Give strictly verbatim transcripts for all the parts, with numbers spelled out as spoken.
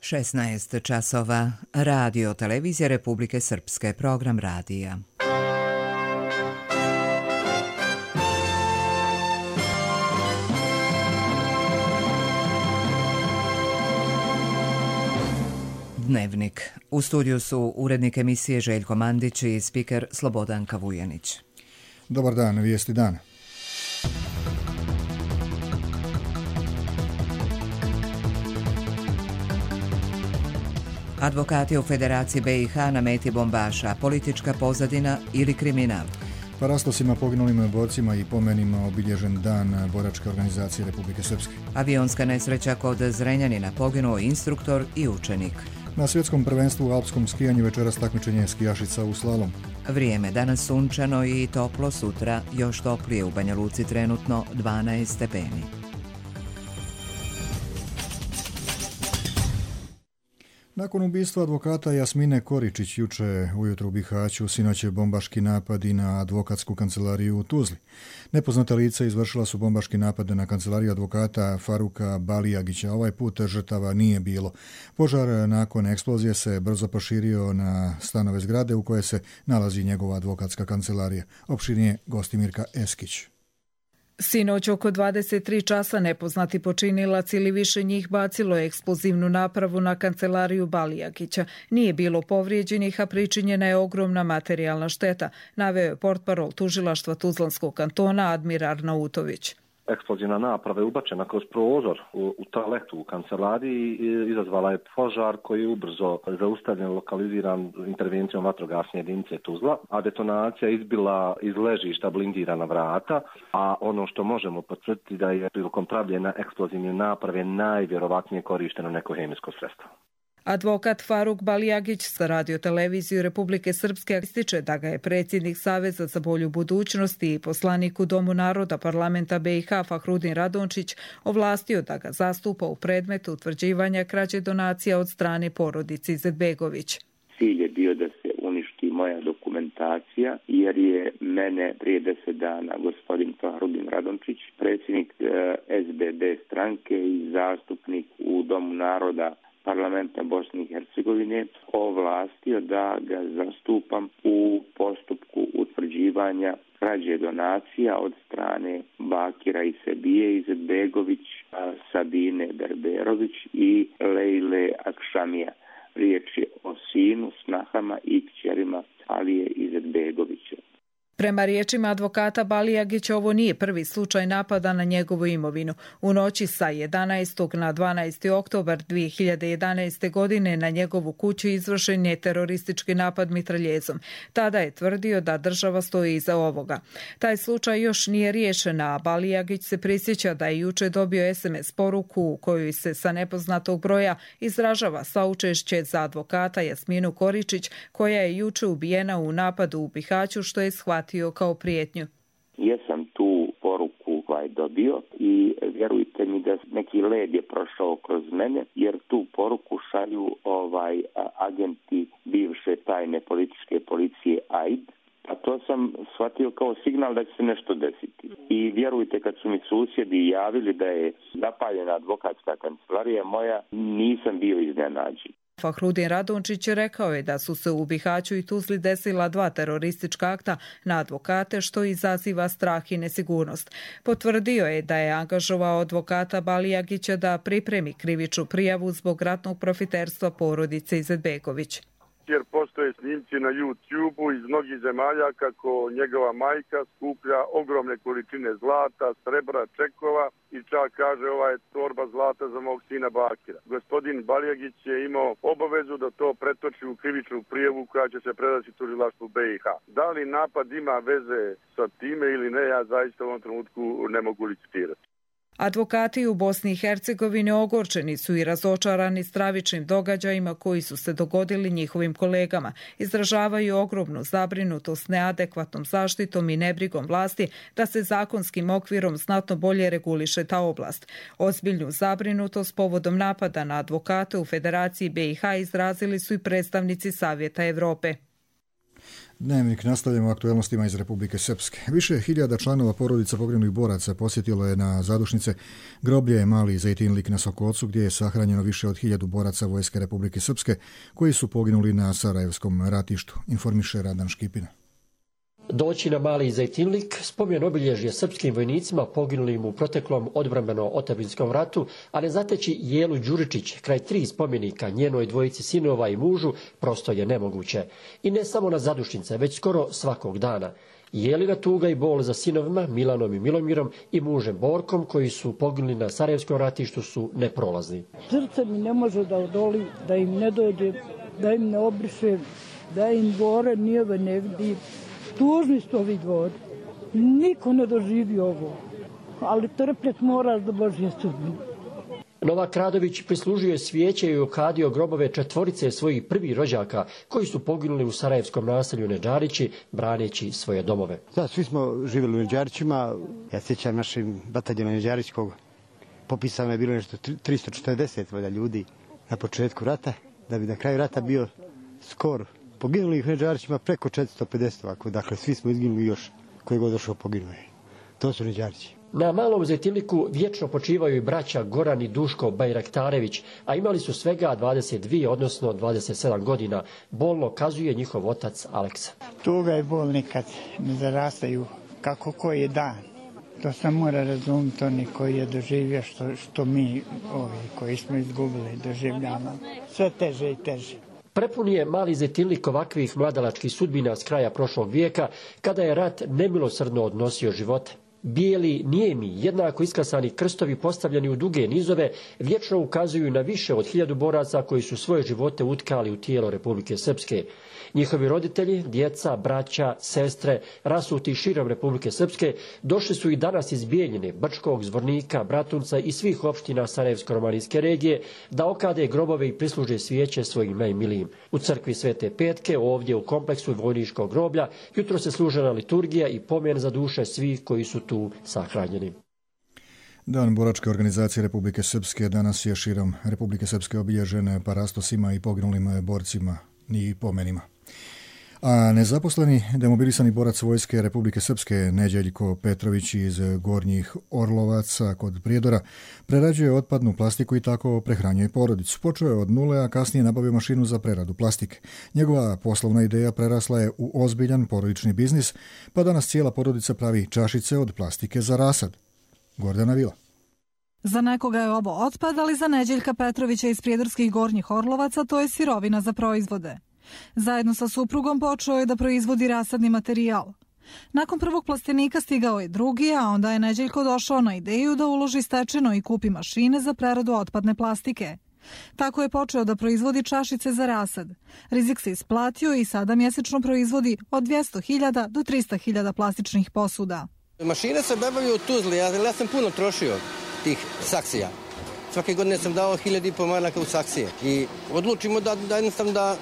šesnaest časova. Radio Televizija Republike Srpske. Program radija. Dnevnik. U studiju su urednik emisije Željko Mandić i spiker Slobodanka Vujanić. Dobar dan, vijesti dana. Advokati u Federaciji B i H na meti bombaša, politička pozadina ili kriminal. Parastosima, poginulim borcima i pomenima obilježen dan boračke organizacije Republike Srpske. Avionska nesreća kod Zrenjanina, poginuo instruktor i učenik. Na svjetskom prvenstvu u alpskom skijanju večeras takmičenje skijašica u slalom. Vrijeme danas sunčano i toplo, sutra još toplije, u Banja Luci trenutno dvanaest stepeni. Nakon ubistva advokata Jasmine Koričić juče ujutro u Bihaću, sinoć je bombaški napad i na advokatsku kancelariju u Tuzli. Nepoznata lica izvršila su bombaški napad na kancelariju advokata Faruka Balijagića. Ovaj put žrtava nije bilo. Požar nakon eksplozije se brzo proširio na stanove zgrade u koje se nalazi njegova advokatska kancelarija. Opširnije Gostimirka Eskić. Sinoć oko dvadeset tri časa nepoznati počinilac ili više njih bacilo je eksplozivnu napravu na kancelariju Balijagića. Nije bilo povrijeđenih, a pričinjena je ogromna materijalna šteta, naveo je portparol tužilaštva Tuzlanskog kantona Admir Arnautović. Eksplozivna naprava je ubačena kroz prozor u, u toaletu u kancelariji i izazvala je požar koji je ubrzo zaustavljen, lokaliziran intervencijom vatrogasne jedinice Tuzla, a detonacija izbila iz ležišta blindirana vrata, a ono što možemo potvrditi da je prilikom pravljenja eksplozivne naprave najvjerovatnije korišteno neko hemijsko sredstvo. Advokat Faruk Balijagić sa Radio Televiziju Republike Srpske ističe da ga je predsjednik Saveza za bolju budućnost i poslanik u Domu naroda parlamenta B i H Fahrudin Radončić ovlastio da ga zastupa u predmetu utvrđivanja krađe donacija od strane porodice Izetbegović. Cilj je bio da se uništi moja dokumentacija, jer je mene prije deset dana gospodin Fahrudin Radončić, predsjednik S B B stranke i zastupnik u Domu naroda parlamenta Bosne i Hercegovine, ovlastio da ga zastupam u postupku utvrđivanja krađe donacija od strane Bakira Isebije Izetbegović, Sabine Berberović i Lejle Akšamija. Riječ je o sinu, snahama i kćerima Alije Izetbegovića. Prema riječima advokata Balijagića, ovo nije prvi slučaj napada na njegovu imovinu. U noći sa jedanaestog na dvanaesti oktobar dvije hiljade jedanaeste. godine na njegovu kuću izvršen je teroristički napad mitraljezom. Tada je tvrdio da država stoji iza ovoga. Taj slučaj još nije riješen, a Balijagić se prisjeća da je juče dobio S M S poruku u kojoj se sa nepoznatog broja izražava saučešće za advokata Jasminu Koričić, koja je juče ubijena u napadu u Bihaću, što je shvatio kao prijetnju. Jesam tu poruku ovaj dobio i vjerujte mi da neki led je prošao kroz mene, jer tu poruku šalju ovaj agenti bivše tajne političke policije A I D, a to sam shvatio kao signal da će se nešto desiti. I vjerujte, kad su mi susjedi javili da je zapaljena advokatska kancelarija moja, nisam bio iznenađen. Fahrudin Radončić rekao je da su se u Bihaću i Tuzli desila dva teroristička akta na advokate, što izaziva strah i nesigurnost. Potvrdio je da je angažovao advokata Balijagića da pripremi krivičnu prijavu zbog ratnog profiterstva porodice Izetbegović. Jer postoje snimci na YouTubeu iz mnogih zemalja kako njegova majka skuplja ogromne količine zlata, srebra, čekova i čak kaže ova je torba zlata za mog sina Bakira. Gospodin Balijagić je imao obavezu da to pretoči u krivičnu prijavu koja će se predati tužilaštvu B i H. Da li napad ima veze sa time ili ne, ja zaista u ovom trenutku ne mogu licitirati. Advokati u Bosni i Hercegovini ogorčeni su i razočarani stravičnim događajima koji su se dogodili njihovim kolegama. Izražavaju ogromnu zabrinutost neadekvatnom zaštitom i nebrigom vlasti da se zakonskim okvirom znatno bolje reguliše ta oblast. Ozbiljnu zabrinutost povodom napada na advokate u Federaciji B i H izrazili su i predstavnici Savjeta Evrope. Dnevnik nastavljamo aktualnostima iz Republike Srpske. Više hiljada članova porodica poginulih boraca posjetilo je na zadušnice groblje Mali Zejtinlik na Sokocu, gdje je sahranjeno više od hiljadu boraca Vojske Republike Srpske koji su poginuli na Sarajevskom ratištu, informiše Radan Škipina. Doći na Mali Zejtinlik spomen obilježje srpskim vojnicima poginulim u proteklom odbrambeno-otadžbinskom ratu, a ne zateći Jelu Đuričić kraj tri spomenika njenoj dvojici sinova i mužu prosto je nemoguće. I ne samo na zadušnice, već skoro svakog dana. Jelina tuga i bol za sinovima Milanom i Milomirom i mužem Borkom koji su poginuli na Sarajevskom ratištu su neprolazni. Srce mi ne može da odoli, da im ne dođe, da im ne obriše, da im gore nijeve ne vidi. Tužni su ovi dvori. Niko ne doživi ovo, ali trpjet moraš do Božje sudbine. Novak Radović prislužio je svijeće i okadio grobove četvorice svojih prvih rođaka koji su poginuli u sarajevskom naselju Nedžarići braneći svoje domove. Da, svi smo živjeli u Nedžarićima. Ja sjećam našim bataljona Nedžarićkog. Popisano je bilo nešto tristo četrdeset ljudi na početku rata, da bi na kraju rata bio skor poginulih u Nedžarićima preko četiristo pedeset ovako. Dakle, svi smo izginuli još koji god došao poginuli. To su Nedžarići. Na Malom Zejtinliku vječno počivaju i braća Goran i Duško Bajraktarević, a imali su svega dvadeset dvije, odnosno dvadeset sedam godina. Bolno kazuje njihov otac Aleksa. Tuga i bol nikad ne zarastaju kako koji dan. To sam mora razumjeti oni koji je doživio što, što mi, ovi koji smo izgubili, doživljamo. Sve teže i teže. Prepun je Mali Zejtinlik ovakvih mladalačkih sudbina s kraja prošlog vijeka, kada je rat nemilosrdno odnosio živote. Bijeli, nijemi, jednako iskasani krstovi postavljeni u duge nizove vječno ukazuju na više od hiljadu boraca koji su svoje živote utkali u tijelo Republike Srpske. Njihovi roditelji, djeca, braća, sestre, rasuti širom Republike Srpske, došli su i danas iz Bijeljine, Brčkog, Zvornika, Bratunca i svih opština Sarajevsko-romanijske regije da okade grobove i prisluže svijeće svojim najmilijim. U crkvi Svete Petke, ovdje u kompleksu vojničkog groblja, jutro se služena liturgija i pomen za duše svih koji su tu sahranjeni. Dan boračke organizacije Republike Srpske danas je širom Republike Srpske obilježen parastosima i poginulim borcima i pomenima. A nezaposleni demobilisani borac Vojske Republike Srpske Neđeljko Petrović iz Gornjih Orlovaca kod Prijedora prerađuje otpadnu plastiku i tako prehranjuje porodicu. Počeo je od nule, a kasnije nabavio mašinu za preradu plastike. Njegova poslovna ideja prerasla je u ozbiljan porodični biznis, pa danas cijela porodica pravi čašice od plastike za rasad. Gordana Vila. Za nekoga je ovo otpad, ali za Neđeljka Petrovića iz Prijedorskih Gornjih Orlovaca to je sirovina za proizvode. Zajedno sa suprugom počeo je da proizvodi rasadni materijal. Nakon prvog plastenika stigao je drugi, a onda je Neđeljko došao na ideju da uloži stečeno i kupi mašine za preradu otpadne plastike. Tako je počeo da proizvodi čašice za rasad. Rizik se isplatio i sada mjesečno proizvodi od dvjesto hiljada do tristo hiljada plastičnih posuda. Mašine se nabavljaju u Tuzli, ja, ja sam puno trošio tih saksija. Svake godine sam dao hiljadi i po maraka u saksije i odlučimo da, da jednostavno da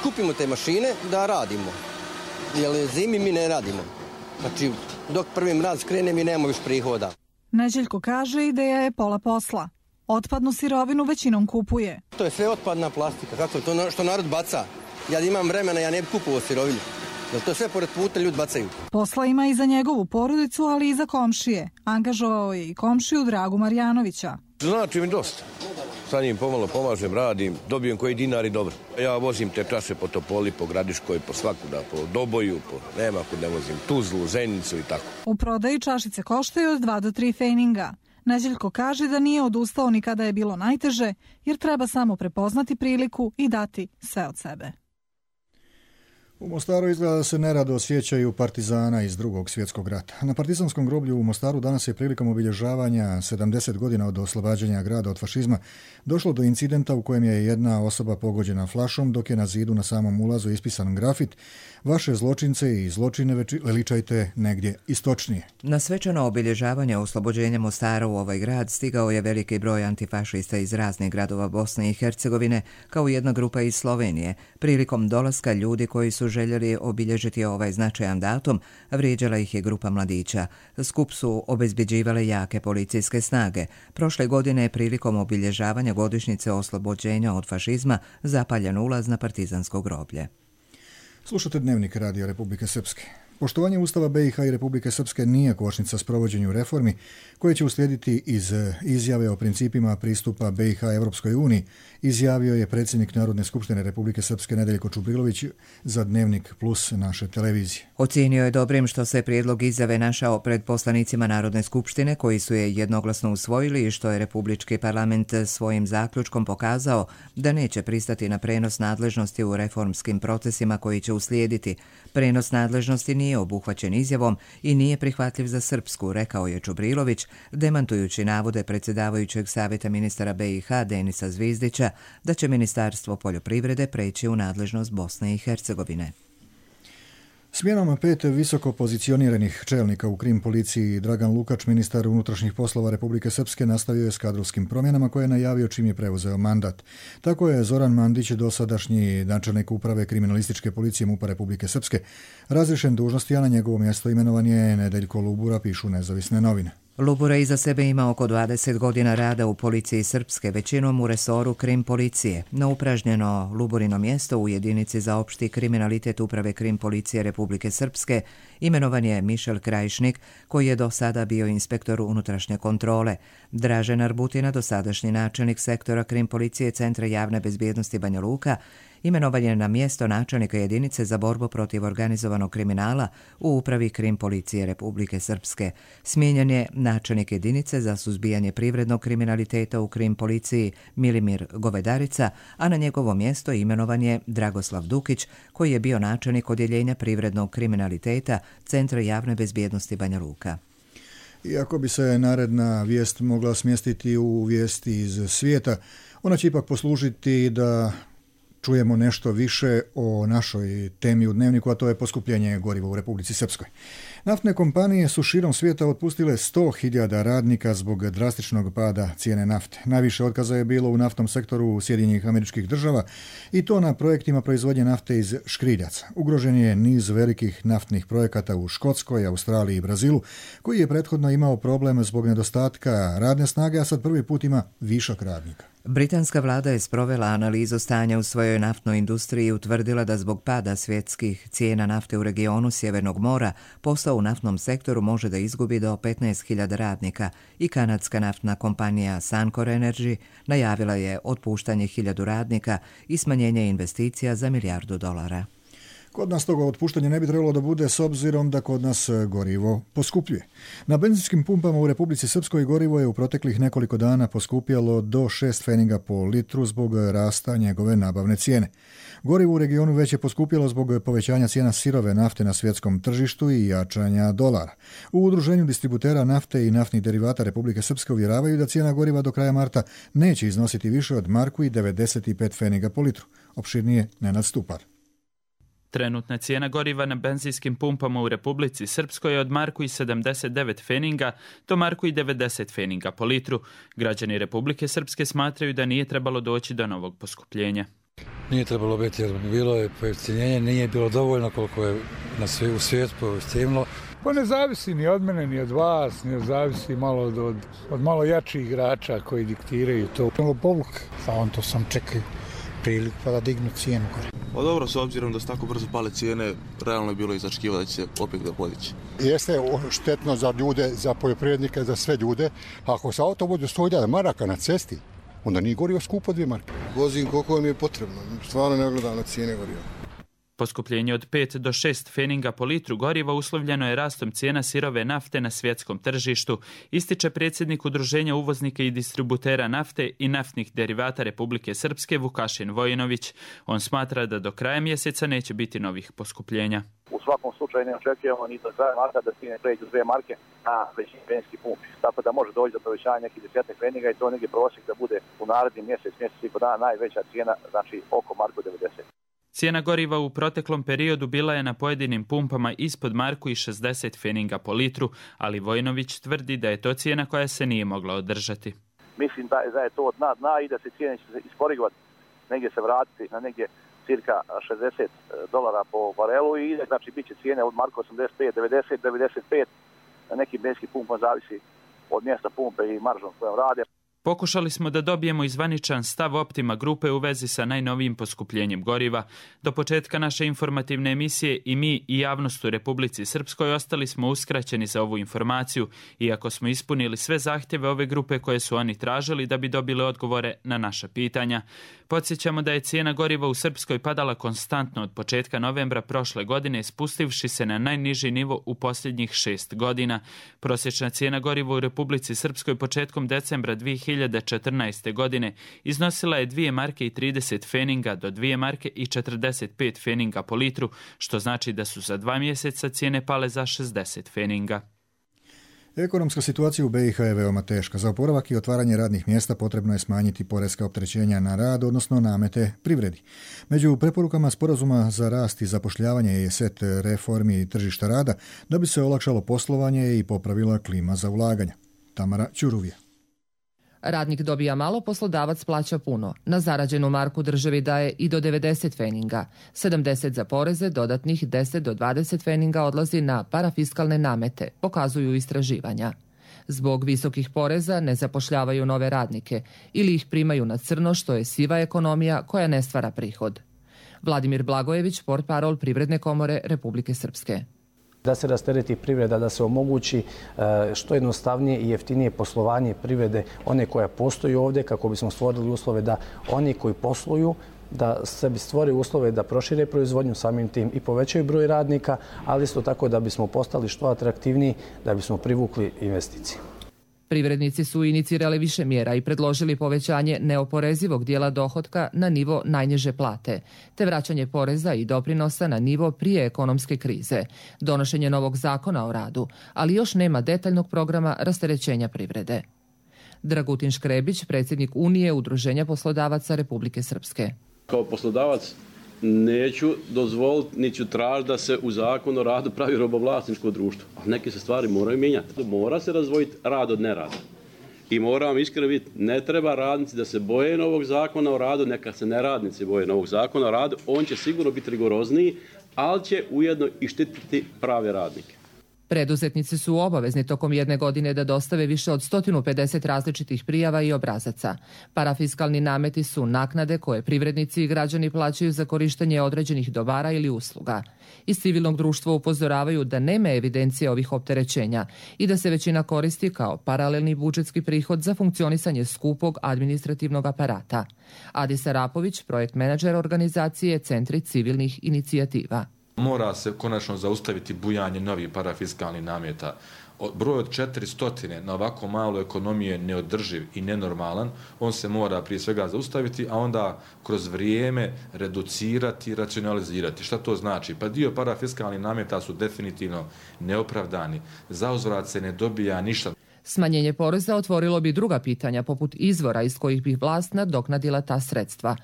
kupimo te mašine da radimo, jer zimi mi ne radimo. Znači, dok prvi mraz krene mi nemamo još prihoda. Neđeljko kaže ideja je pola posla. Otpadnu sirovinu većinom kupuje. To je sve otpadna plastika, kako je to što narod baca. Ja imam vremena, ja ne bi kupovao sirovinu, jer to sve pored puta ljudi bacaju. Posla ima i za njegovu porodicu, ali i za komšije. Angažovao je i komšiju Dragu Marjanovića. Znači mi dosta. Sa njim pomalo pomažem, radim, dobijem koji dinar i dobro. Ja vozim te čaše po Topoli, po Gradiškoj, po svakuda, po Doboju, po nema kud ne vozim, Tuzlu, Zenicu i tako. U prodaji čašice koštaju od dva do tri fejninga. Neđeljko kaže da nije odustao ni kada je bilo najteže, jer treba samo prepoznati priliku i dati sve od sebe. U Mostaru izgleda da se nerado osjećaju partizana iz Drugog svjetskog rata. Na partizanskom groblju u Mostaru danas je prilikom obilježavanja sedamdeset godina od oslobađanja grada od fašizma došlo do incidenta u kojem je jedna osoba pogođena flašom, dok je na zidu na samom ulazu ispisan grafit: vaše zločince i zločine veličajte negdje istočnije. Na svečano obilježavanje oslobođenja Mostara u ovaj grad stigao je veliki broj antifašista iz raznih gradova Bosne i Hercegovine, kao jedna grupa iz Slovenije. Prilikom dolaska ljudi koji su željeli obilježiti ovaj značajan datum, vrijeđala ih je grupa mladića. Skup su obezbjeđivale jake policijske snage. Prošle godine je prilikom obilježavanja godišnjice oslobođenja od fašizma zapaljen ulaz na partizansko groblje. Slušate Dnevnik Radio Republike Srpske. Poštovanje Ustava be i ha i Republike Srpske nije kočnica sprovođenju reformi koje će uslijediti iz izjave o principima pristupa be i ha Evropskoj uniji, izjavio je predsjednik Narodne skupštine Republike Srpske Nedeljko Čubrilović za Dnevnik plus naše televizije. Ocijenio je dobrim što se prijedlog izjave našao pred poslanicima Narodne skupštine koji su je jednoglasno usvojili i što je Republički parlament svojim zaključkom pokazao da neće pristati na prenos nadležnosti u reformskim procesima koji će uslijediti. Prenos nadležnosti nije obuhvaćen izjavom i nije prihvatljiv za Srpsku, rekao je Čubrilović, demantujući navode predsjedavajućeg savjeta ministara be i ha Denisa Zvizdića da će Ministarstvo poljoprivrede preći u nadležnost Bosne i Hercegovine. Smjenom pet visoko pozicioniranih čelnika u krim policiji Dragan Lukač, ministar unutrašnjih poslova Republike Srpske, nastavio je s kadrovskim promjenama koje je najavio čim je preuzeo mandat. Tako je Zoran Mandić, dosadašnji načelnik uprave kriminalističke policije MUP-a Republike Srpske, razriješen dužnosti, a na njegovo mjesto imenovan je Nedeljko Lubura, pišu nezavisne novine. Lubura iza sebe ima oko dvadeset godina rada u policiji Srpske, većinom u resoru krim policije. Na upražnjeno Luburino mjesto u jedinici za opšti kriminalitet uprave krim policije Republike Srpske imenovan je Mišel Krajišnik, koji je do sada bio inspektor unutrašnje kontrole. Dražen Arbutina, dosadašnji načelnik sektora krim policije Centra javne bezbjednosti Banja Luka, imenovan je na mjesto načelnika jedinice za borbu protiv organizovanog kriminala u upravi krim policije Republike Srpske. Smijenjen je načelnik jedinice za suzbijanje privrednog kriminaliteta u krim policiji Milimir Govedarica, a na njegovo mjesto imenovan je Dragoslav Dukić, koji je bio načelnik odjeljenja privrednog kriminaliteta Centra javne bezbjednosti Banja Luka. Iako bi se naredna vijest mogla smjestiti u vijesti iz svijeta, ona će ipak poslužiti da čujemo nešto više o našoj temi u Dnevniku, a to je poskupljenje goriva u Republici Srpskoj. Naftne kompanije su širom svijeta otpustile sto hiljada radnika zbog drastičnog pada cijene nafte. Najviše otkaza je bilo u naftnom sektoru Sjedinjenih Američkih Država i to na projektima proizvodnje nafte iz škriljaca. Ugrožen je niz velikih naftnih projekata u Škotskoj, Australiji i Brazilu, koji je prethodno imao problem zbog nedostatka radne snage, a sad prvi put ima višak radnika. Britanska vlada je sprovela analizu stanja u svojoj naftnoj industriji i utvrdila da zbog pada svjetskih cijena nafte u regionu Sjevernog mora posao u naftnom sektoru može da izgubi do petnaest hiljada radnika i kanadska naftna kompanija Suncor Energy najavila je otpuštanje hiljadu radnika i smanjenje investicija za milijardu dolara. Kod nas toga otpuštanja ne bi trebalo da bude s obzirom da kod nas gorivo poskupljuje. Na benzinskim pumpama u Republici Srpskoj gorivo je u proteklih nekoliko dana poskupjelo do šest feninga po litru zbog rasta njegove nabavne cijene. Gorivo u regionu već je poskupjelo zbog povećanja cijena sirove nafte na svjetskom tržištu i jačanja dolara. U udruženju distributera nafte i naftnih derivata Republike Srpske uvjeravaju da cijena goriva do kraja marta neće iznositi više od marku i devedeset pet feninga po litru. Opširnije Nenad Stupar. Trenutna cijena goriva na benzinskim pumpama u Republici Srpskoj je od marku i sedamdeset devet feninga do marku i devedeset feninga po litru. Građani Republike Srpske smatraju da nije trebalo doći do novog poskupljenja. Nije trebalo biti jer bilo je pojeftinjenje, nije bilo dovoljno koliko je na sve, u svijetu pojeftinilo. Pa ne zavisi ni od mene, ni od vas, ne zavisi malo od, od, od malo jačih igrača koji diktiraju to. Malo povluk, a on to sam čekaju priliku pa da dignu cijenu gore. Pa dobro, s obzirom da su tako brzo pale cijene, realno je bilo izačekivati da će se opet da podići. Jeste štetno za ljude, za poljoprivrednike, za sve ljude. Ako se auto vozi sto hiljada maraka na cesti, onda nije gorivo skupo dvije marke. Vozim koliko mi je potrebno, stvarno ne gledam na cijene goriva. Poskupljenje od pet do šest feninga po litru goriva uslovljeno je rastom cijena sirove nafte na svjetskom tržištu, ističe predsjednik Udruženja uvoznika i distributera nafte i naftnih derivata Republike Srpske Vukašin Vojinović. On smatra da do kraja mjeseca neće biti novih poskupljenja. U svakom slučaju ne očekujemo ni do kraja marta da cijene pređu dvije marke na većini benzinskih pumpi. Tako da može doći do povećanja nekih desetak feninga i to neki prosjek da bude u naredni mjesec, mjesec i po dana najveća cijena, znači oko marku devedeset. Cijena goriva u proteklom periodu bila je na pojedinim pumpama ispod marku i šezdeset feninga po litru, ali Vojnović tvrdi da je to cijena koja se nije mogla održati. Mislim da je, da je to od dna dna i da se cijene će se iskorigovati, negdje se vratiti na negdje cirka šezdeset dolara po barelu i ide, znači bit će cijene od marka osamdeset pet, devedeset, devedeset pet, na nekim benzinskim pumpama zavisi od mjesta pumpe i maržom kojom rade. Pokušali smo da dobijemo izvaničan stav Optima grupe u vezi sa najnovijim poskupljenjem goriva. Do početka naše informativne emisije i mi i javnost u Republici Srpskoj ostali smo uskraćeni za ovu informaciju, iako smo ispunili sve zahtjeve ove grupe koje su oni tražili da bi dobili odgovore na naša pitanja. Podsjećamo da je cijena goriva u Srpskoj padala konstantno od početka novembra prošle godine, spustivši se na najniži nivo u posljednjih šest godina. Prosječna cijena goriva u Republici Srpskoj početkom decembra dvije hiljade četrnaeste. godine iznosila je dvije marke i trideset feninga do dvije marke i četrdeset pet feninga po litru, što znači da su za dva mjeseca cijene pale za šezdeset feninga. Ekonomska situacija u B i H je veoma teška. Za oporavak i otvaranje radnih mjesta potrebno je smanjiti poreska opterećenja na rad, odnosno namete privredi. Među preporukama sporazuma za rast i zapošljavanje je set reformi tržišta rada da bi se olakšalo poslovanje i popravila klima za ulaganja. Tamara Ćuruvija. Radnik dobija malo, poslodavac plaća puno. Na zarađenu marku državi daje i do devedeset feninga. sedamdeset za poreze, dodatnih deset do dvadeset feninga odlazi na parafiskalne namete, pokazuju istraživanja. Zbog visokih poreza ne zapošljavaju nove radnike ili ih primaju na crno, što je siva ekonomija koja ne stvara prihod. Vladimir Blagojević, portparol Privredne komore Republike Srpske. Da se rastereti privreda, da se omogući što jednostavnije i jeftinije poslovanje privrede, one koja postoji ovdje, kako bismo stvorili uslove da oni koji posluju, da sebi stvori uslove da prošire proizvodnju, samim tim i povećaju broj radnika, ali isto tako da bismo postali što atraktivniji, da bismo privukli investicije. Privrednici su inicirali više mjera i predložili povećanje neoporezivog dijela dohotka na nivo najniže plate, te vraćanje poreza i doprinosa na nivo prije ekonomske krize, donošenje novog zakona o radu, ali još nema detaljnog programa rasterećenja privrede. Dragutin Škrebić, predsjednik Unije Udruženja poslodavaca Republike Srpske. Kao poslodavac neću dozvoliti, niti ću tražiti da se u zakonu o radu pravi robovlasničko društvo. Ali neke se stvari moraju mijenjati. Mora se razdvojiti rad od nerada. I moram iskreno vidjeti, ne treba radnici da se boje novog zakona o radu, neka se neradnici boje novog zakona o radu. On će sigurno biti rigorozniji, ali će ujedno i štititi prave radnike. Preduzetnici su obavezni tokom jedne godine da dostave više od sto pedeset različitih prijava i obrazaca. Parafiskalni nameti su naknade koje privrednici i građani plaćaju za korištenje određenih dobara ili usluga. Iz civilnog društva upozoravaju da nema evidencije ovih opterećenja i da se većina koristi kao paralelni budžetski prihod za funkcionisanje skupog administrativnog aparata. Adi Sarapović, projekt menadžer organizacije Centri civilnih inicijativa. Mora se konačno zaustaviti bujanje novih parafiskalnih nameta. Broj od četiristo na ovako malo ekonomije neodrživ i nenormalan, on se mora prije svega zaustaviti, a onda kroz vrijeme reducirati i racionalizirati. Šta to znači? Pa dio parafiskalnih nameta su definitivno neopravdani. Zauzvrat se ne dobija ništa. Smanjenje poreza otvorilo bi druga pitanja, poput izvora iz kojih bi vlast nadoknadila ta sredstva.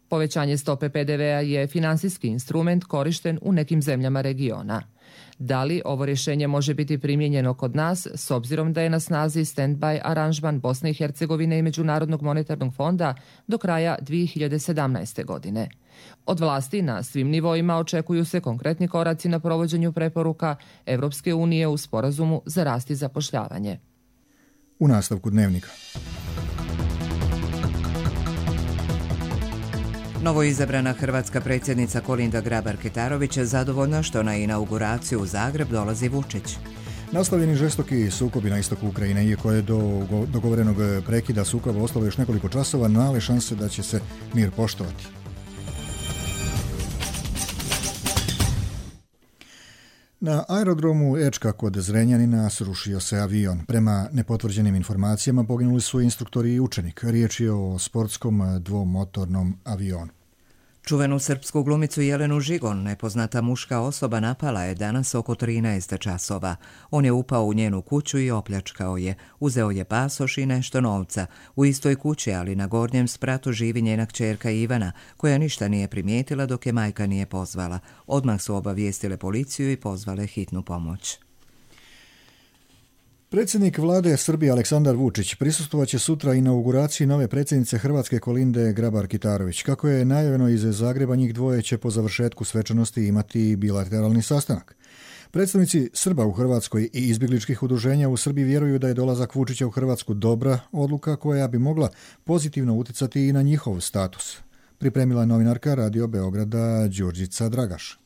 Povećanje stope P D V-a je finansijski instrument korišten u nekim zemljama regiona. Da li ovo rješenje može biti primijenjeno kod nas, s obzirom da je na snazi stand-by aranžman Bosne i Hercegovine i Međunarodnog monetarnog fonda do kraja dvije hiljade sedamnaeste. godine? Od vlasti na svim nivoima očekuju se konkretni koraci na provođenju preporuka Evropske unije u sporazumu za rast i zapošljavanje. U nastavku dnevnika. Novoizabrana hrvatska predsjednica Kolinda Grabar-Kitarović je zadovoljna što na inauguraciju u Zagreb dolazi Vučić. Nastavljeni žestoki sukobi na istoku Ukrajine, iako je do dogovorenog prekida sukoba ostalo još nekoliko časova, male šanse da će se mir poštovati. Na aerodromu Ečka kod Zrenjanina srušio se avion. Prema nepotvrđenim informacijama poginuli su instruktori i učenik. Riječ je o sportskom dvomotornom avionu. Čuvenu srpsku glumicu Jelenu Žigon, nepoznata muška osoba, napala je danas oko trinaest časova. On je upao u njenu kuću i opljačkao je. Uzeo je pasoš i nešto novca. U istoj kući, ali na gornjem spratu, živi njena kćerka Ivana, koja ništa nije primijetila dok je majka nije pozvala. Odmah su obavijestile policiju i pozvale hitnu pomoć. Predsjednik vlade Srbije Aleksandar Vučić prisustvovat će sutra inauguraciji nove predsjednice Hrvatske Kolinde Grabar-Kitarović. Kako je najavljeno iz Zagreba, njih dvoje će po završetku svečanosti imati bilateralni sastanak. Predstavnici Srba u Hrvatskoj i izbjegličkih udruženja u Srbiji vjeruju da je dolazak Vučića u Hrvatsku dobra odluka koja bi mogla pozitivno utjecati i na njihov status. Pripremila je novinarka Radio Beograda Đurđica Dragaš.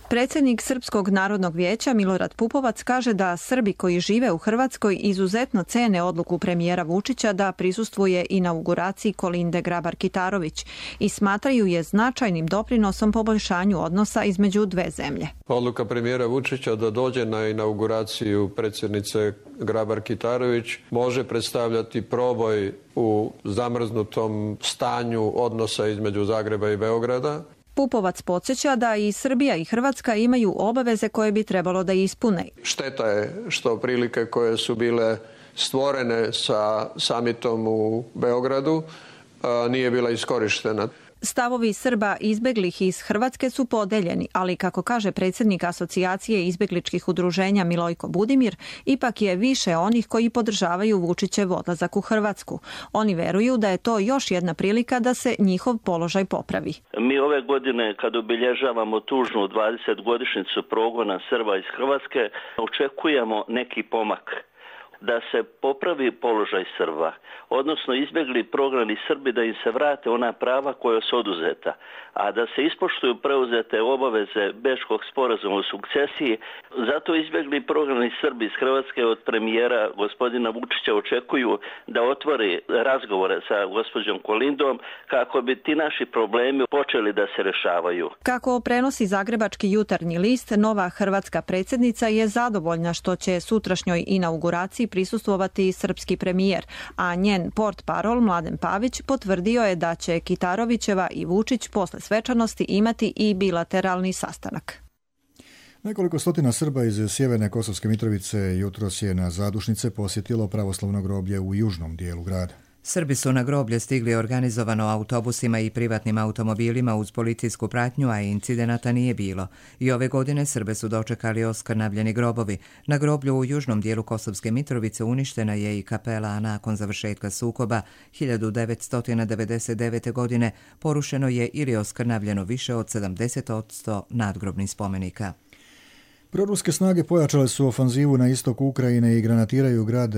Predsjednik Srpskog narodnog vijeća Milorad Pupovac kaže da Srbi koji žive u Hrvatskoj izuzetno cene odluku premijera Vučića da prisustvuje inauguraciji Kolinde Grabar-Kitarović i smatraju je značajnim doprinosom poboljšanju odnosa između dve zemlje. Odluka premijera Vučića da dođe na inauguraciju predsjednice Grabar-Kitarović može predstavljati proboj u zamrznutom stanju odnosa između Zagreba i Beograda. Pupovac podsjeća da i Srbija i Hrvatska imaju obaveze koje bi trebalo da ispune. Šteta je što prilike koje su bile stvorene sa samitom u Beogradu nije bila iskorištena. Stavovi Srba izbeglih iz Hrvatske su podeljeni, ali kako kaže predsjednik Asocijacije izbegličkih udruženja Milojko Budimir, ipak je više onih koji podržavaju Vučićev odlazak u Hrvatsku. Oni veruju da je to još jedna prilika da se njihov položaj popravi. Mi ove godine, kad obilježavamo tužnu dvadesetogodišnjicu progona Srba iz Hrvatske, očekujemo neki pomak. Da se popravi položaj Srba, odnosno izbjegli prognani Srbi da im se vrate ona prava koja su oduzeta, a da se ispoštuju preuzete obaveze Bečkog sporazuma o sukcesiji. Zato izbjegli prognani Srbi iz Hrvatske od premijera gospodina Vučića očekuju da otvori razgovore sa gospođom Kolindom kako bi ti naši problemi počeli da se rešavaju. Kako prenosi Zagrebački jutarnji list, nova hrvatska predsjednica je zadovoljna što će sutrašnjoj inauguraciji prisustvovati srpski premijer, a njen portparol Mladen Pavić potvrdio je da će Kitarovićeva i Vučić posle svečanosti imati i bilateralni sastanak. Nekoliko stotina Srba iz sjeverne Kosovske Mitrovice jutros je na zadušnice posjetilo pravoslavno groblje u južnom dijelu grada. Srbi su na groblje stigli organizovano autobusima i privatnim automobilima uz policijsku pratnju, a incidenata nije bilo. I ove godine Srbe su dočekali oskrnavljeni grobovi. Na groblju u južnom dijelu Kosovske Mitrovice uništena je i kapela, a nakon završetka sukoba hiljadu devetsto devedeset devete. godine porušeno je ili oskrnavljeno više od sedamdeset posto nadgrobnih spomenika. Proruske snage pojačale su ofanzivu na istoku Ukrajine i granatiraju grad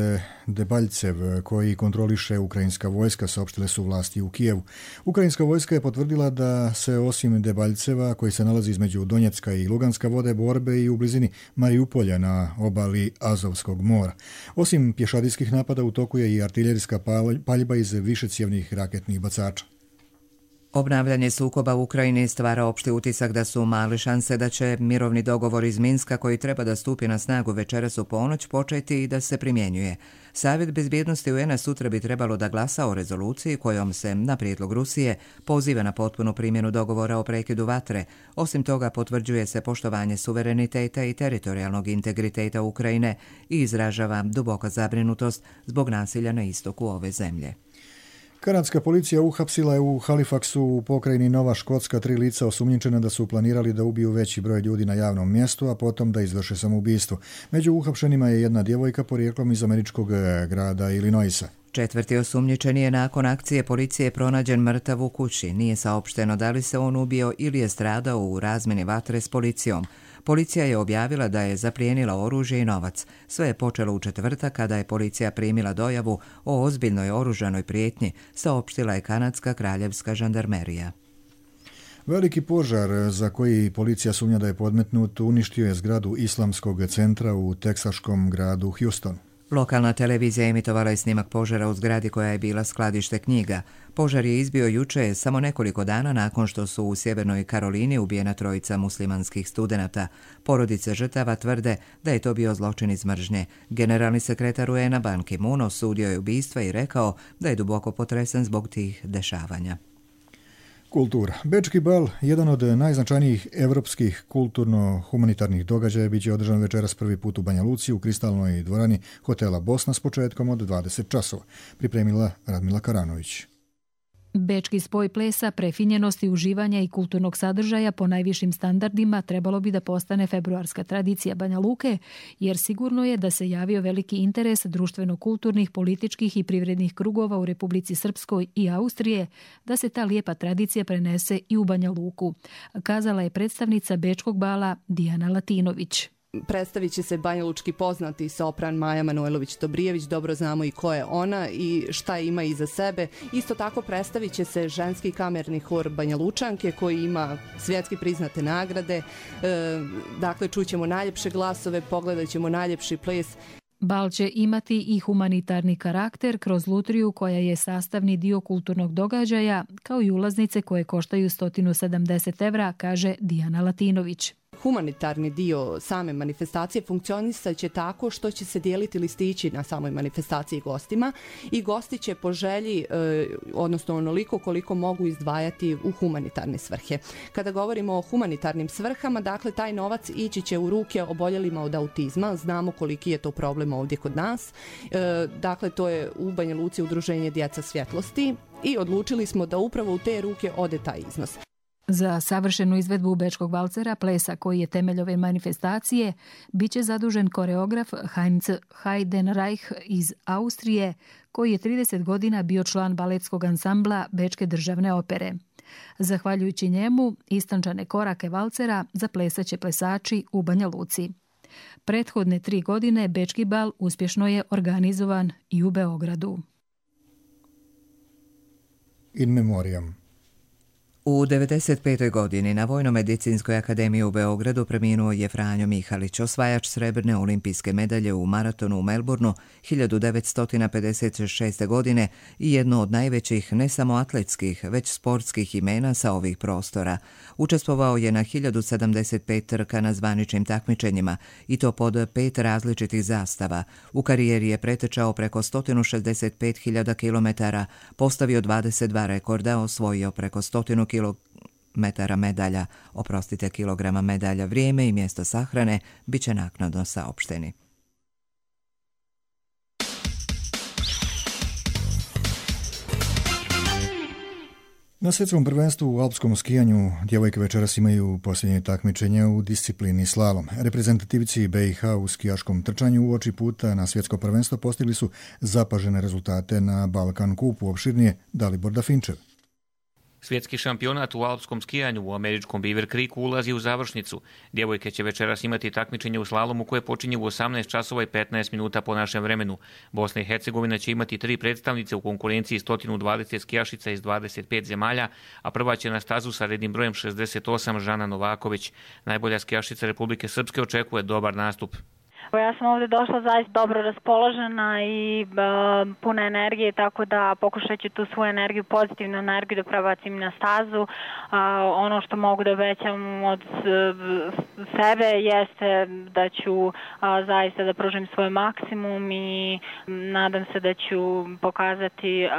Debaljcev, koji kontroliše ukrajinska vojska, saopštile su vlasti u Kijevu. Ukrajinska vojska je potvrdila da se osim Debaljceva, koji se nalazi između Donjecka i Luganska, vode borbe i u blizini Mariupolja na obali Azovskog mora. Osim pješadijskih napada u toku je i artiljerijska paljba iz višecjevnih raketnih bacača. Obnavljanje sukoba u Ukrajini stvara opšti utisak da su male šanse da će mirovni dogovor iz Minska, koji treba da stupi na snagu večeras u ponoć, početi i da se primjenjuje. Savjet bezbjednosti U N-a sutra bi trebalo da glasa o rezoluciji kojom se, na prijedlog Rusije, poziva na potpunu primjenu dogovora o prekidu vatre. Osim toga, potvrđuje se poštovanje suvereniteta i teritorijalnog integriteta Ukrajine i izražava duboka zabrinutost zbog nasilja na istoku ove zemlje. Kanadska policija uhapsila je u Halifaxu u pokrajini Nova Škotska tri lica osumnjičena da su planirali da ubiju veći broj ljudi na javnom mjestu, a potom da izvrše samoubistvo. Među uhapšenima je jedna djevojka porijeklom iz američkog grada Illinoisa. Četvrti osumnjičeni je nakon akcije policije pronađen mrtav u kući. Nije saopšteno da li se on ubio ili je stradao u razmjeni vatre s policijom. Policija je objavila da je zaplijenila oružje i novac. Sve je počelo u četvrtak kada je policija primila dojavu o ozbiljnoj oružanoj prijetnji, saopštila je kanadska kraljevska žandarmerija. Veliki požar za koji policija sumnja da je podmetnut uništio je zgradu islamskog centra u teksaškom gradu Houston. Lokalna televizija emitovala je snimak požara u zgradi koja je bila skladište knjiga. Požar je izbio juče, samo nekoliko dana nakon što su u Sjevernoj Karolini ubijena trojica muslimanskih studenata. Porodice žrtava tvrde da je to bio zločin iz mržnje. Generalni sekretar U N-a Ban Ki-moon osudio je ubistva i rekao da je duboko potresen zbog tih dešavanja. Kultura. Bečki bal, jedan od najznačajnijih evropskih kulturno-humanitarnih događaja, bit će održan večeras prvi put u Banja Luci u kristalnoj dvorani hotela Bosna s početkom od dvadeset časova. Pripremila Radmila Karanović. Bečki spoj plesa, prefinjenosti, uživanja i kulturnog sadržaja po najvišim standardima trebalo bi da postane februarska tradicija Banja Luke, jer sigurno je da se javio veliki interes društveno-kulturnih, političkih i privrednih krugova u Republici Srpskoj i Austrije da se ta lijepa tradicija prenese i u Banja Luku, kazala je predstavnica Bečkog bala Dijana Latinović. Predstavit će se banjalučki poznati sopran Maja Manojlović-Dobrijević, dobro znamo i ko je ona i šta ima iza sebe. Isto tako predstavit će se ženski kamerni hor Banjalučanke koji ima svjetski priznate nagrade. E, dakle, čućemo najljepše glasove, pogledat ćemo najljepši ples. Bal će imati i humanitarni karakter kroz lutriju koja je sastavni dio kulturnog događaja, kao i ulaznice koje koštaju sto sedamdeset evra, kaže Dijana Latinović. Humanitarni dio same manifestacije funkcionisat će tako što će se dijeliti listići na samoj manifestaciji gostima i gosti će po želji, odnosno onoliko koliko mogu izdvajati u humanitarne svrhe. Kada govorimo o humanitarnim svrhama, dakle taj novac ići će u ruke oboljelima od autizma, znamo koliki je to problem ovdje kod nas. Dakle, to je u Banja Luci udruženje Djeca svjetlosti i odlučili smo da upravo u te ruke ode taj iznos. Za savršenu izvedbu bečkog valcera, plesa koji je temelj ove manifestacije, bit će zadužen koreograf Heinz Heidenreich iz Austrije, koji je trideset godina bio član baletskog ansambla Bečke državne opere. Zahvaljujući njemu, istančane korake valcera zaplesaće plesači u Banja Luci. Prethodne tri godine bečki bal uspješno je organizovan i u Beogradu. In memoriam. U devedeset petoj godini na Vojno-medicinskoj akademiji u Beogradu preminuo je Franjo Mihalić, osvajač srebrne olimpijske medalje u maratonu u Melbourneu hiljadu devetsto pedeset šeste. godine i jedno od najvećih ne samo atletskih, već sportskih imena sa ovih prostora. Učestvovao je na hiljadu sedamdeset pet trka na zvaničnim takmičenjima i to pod pet različitih zastava. U karijeri je pretečao preko sto šezdeset pet hiljada kilometara, postavio dvadeset dva rekorda, osvojio preko sto kilometara metara medalja, oprostite kilograma medalja. Vrijeme i mjesto sahrane bit će naknadno saopšteni. Na svjetskom prvenstvu u alpskom skijanju djevojke večeras imaju posljednje takmičenja u disciplini slalom. Reprezentativci B i H u skijaškom trčanju uoči puta na svjetsko prvenstvo postigli su zapažene rezultate na Balkan Kupu, opširnije Dalibor Dafinčev. Svjetski šampionat u alpskom skijanju u američkom Beaver Creeku ulazi u završnicu. Djevojke će večeras imati takmičenje u slalomu koje počinje u osamnaest časova i petnaest minuta po našem vremenu. Bosna i Hercegovina će imati tri predstavnice u konkurenciji sto dvadeset skijašica iz dvadeset pet zemalja, a prva će na stazu sa rednim brojem šezdeset osam Žana Novaković. Najbolja skijašica Republike Srpske očekuje dobar nastup. Ja sam ovdje došla zaista dobro raspoložena i uh, puna energije, tako da pokušat ću tu svoju energiju, pozitivnu energiju da prebacim na stazu. Uh, ono što mogu da obećam od uh, sebe jeste da ću uh, zaista da pružim svoj maksimum i nadam se da ću pokazati uh,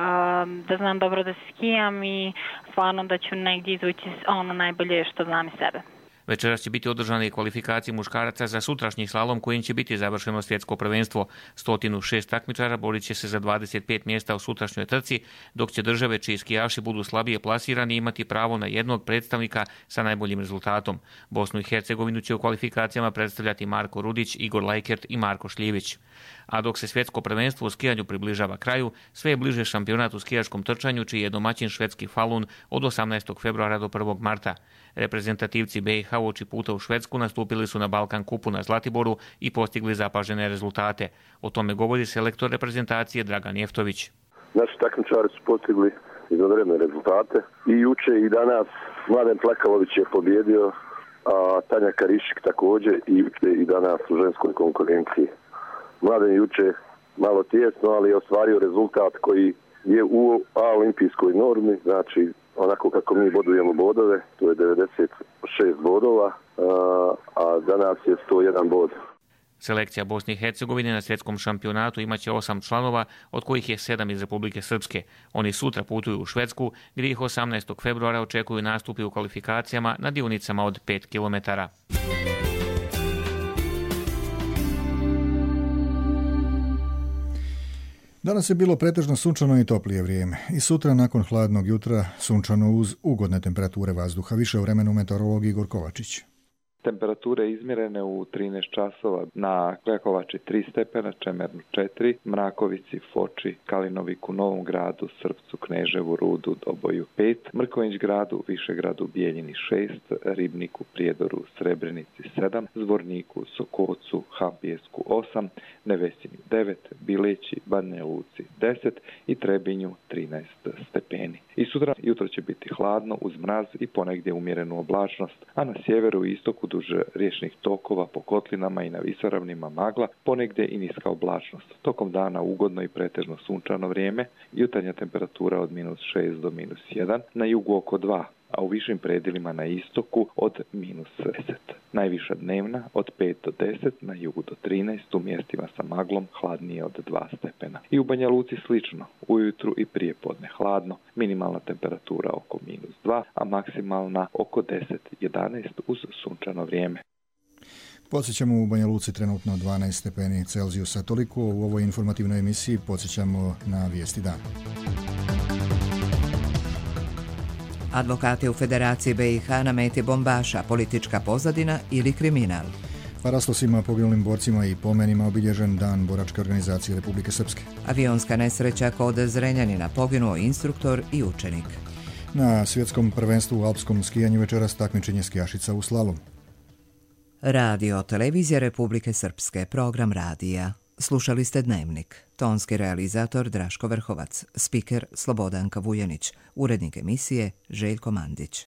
da znam dobro da skijam i stvarno da ću negdje izvući ono najbolje što znam iz sebe. Večeras će biti održane i kvalifikacije muškaraca za sutrašnji slalom kojim će biti završeno svjetsko prvenstvo. sto šest takmičara borit će se za dvadeset pet mjesta u sutrašnjoj trci, dok će države čiji skijaši budu slabije plasirani imati pravo na jednog predstavnika sa najboljim rezultatom. Bosnu i Hercegovinu će u kvalifikacijama predstavljati Marko Rudić, Igor Lajkert i Marko Šljivić. A dok se svjetsko prvenstvo u skijanju približava kraju, sve je bliže šampionat u skijaškom trčanju čiji je domaćin švedski Falun od osamnaestog februara do prvog marta. Reprezentativci B i H uoči puta u Švedsku nastupili su na Balkan Kupu na Zlatiboru i postigli zapažene rezultate. O tome govori selektor reprezentacije Dragan Jeftović. Naši takmičari su postigli izvanredne rezultate i juče i danas Mladen Plakalović je pobjedio, a Tanja Karišik također i juče i danas u ženskoj konkurenciji. Mladen juče malo tijesno, ali je ostvario rezultat koji je u A olimpijskoj normi, znači onako kako mi bodujemo bodove, to je devedeset šest bodova, a danas je sto jedan bod. Selekcija Bosne i Hercegovine na svjetskom šampionatu imaće osam članova, od kojih je sedam iz Republike Srpske. Oni sutra putuju u Švedsku, gdje ih osamnaestog februara očekuju nastupi u kvalifikacijama na dionicama od pet kilometara. Danas je bilo pretežno sunčano i toplije vrijeme. I sutra nakon hladnog jutra sunčano uz ugodne temperature vazduha. Više o vremenu meteorolog Igor Kovačić. Temperature izmjerene u trinaest časova na Klekovači tri stepena, Čemernu četiri, Mrakovici, Foči, Kalinoviku, Novom gradu, Srpcu, Kneževu, Rudu, Doboju pet, Mrkonjić gradu, Višegradu, Bijeljini šest, Ribniku, Prijedoru, Srebrenici sedam, Zvorniku, Sokocu, Hampijesku osam, Nevesini devet, Bileći, Banja Luci deset i Trebinju trinaest stepeni. I sutra jutro će biti hladno uz mraz i ponegdje umjerenu oblačnost, a na sjeveru i istoku duž riječnih tokova po kotlinama i na visoravnima magla, ponegdje i niska oblačnost. Tokom dana ugodno i pretežno sunčano vrijeme, jutarnja temperatura od minus šest do minus jedan, na jugu oko dva, a u višim predjelima na istoku od minus deset. Najviša dnevna od pet do deset, na jugu do trinaest, u mjestima sa maglom hladnije od dva stepena. I u Banja Luci slično, ujutru i prije podne hladno, minimalna temperatura oko minus dva, a maksimalna oko deset jedanaest uz sunčano vrijeme. Podsjećamo u Banja Luci trenutno dvanaest stepeni Celzijusa. Toliko u ovoj informativnoj emisiji. Podsjećamo na vijesti dana. Advokati u Federaciji B i H na meti bombaša, politička pozadina ili kriminal. Parastosima, poginulim borcima i pomenima obilježen dan boračke organizacije Republike Srpske. Avionska nesreća kod Zrenjanina, poginuo instruktor i učenik. Na svjetskom prvenstvu u alpskom skijanju večeras takmičenje skijašica u slalom. Radio Televizija Republike Srpske, program radija. Slušali ste Dnevnik. Tonski realizator Draško Vrhovac, spiker Slobodanka Vujanić, urednik emisije Željko Mandić.